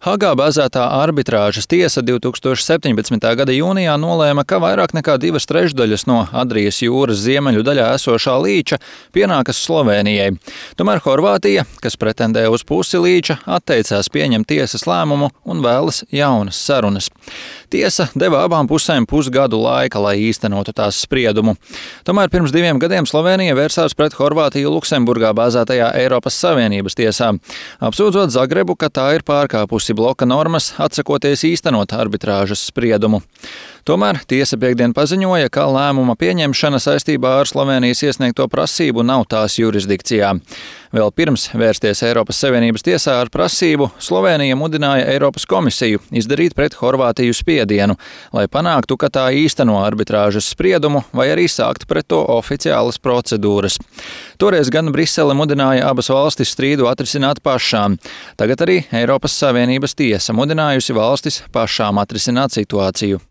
Hagā bāzētā arbitrāžas tiesa 2017. gada jūnijā nolēma, ka vairāk nekā 2/3 no Adrijas jūras ziemeļu daļā esošā līča pienākas Slovēnijai. Tomēr Horvātija, kas pretendē uz pusi līča, atteicās pieņemt tiesas lēmumu un vēlas jaunas sarunas. Tiesa deva abām pusēm pusgadu laika, lai īstenotu tās spriedumu. Tomēr pirms 2 gadiem Slovēnija vērsās pret Horvātiju Luksemburgā bāzētajā Eiropas Savienības tiesā, apsūdzot Zagrebu, ka tā ir pārkāpusi bloka normas, atsakoties īstenot arbitrāžas spriedumu. Tomēr tiesa piektdien paziņoja, ka lēmuma pieņemšana saistībā ar Slovēnijas iesniegto prasību nav tās jurisdikcijā. Vēl pirms vērsties Eiropas Savienības tiesā ar prasību, Slovēnija mudināja Eiropas komisiju izdarīt pret Horvātiju spiedienu, lai panāktu, ka tā īsteno arbitrāžas spriedumu vai arī sākt pret to oficiālas procedūras. Toreiz gan Brisele mudināja abas valstis strīdu atrisināt pašām. Tagad arī Eiropas Savienības tiesa mudinājusi valstis pašām atrisināt situāciju.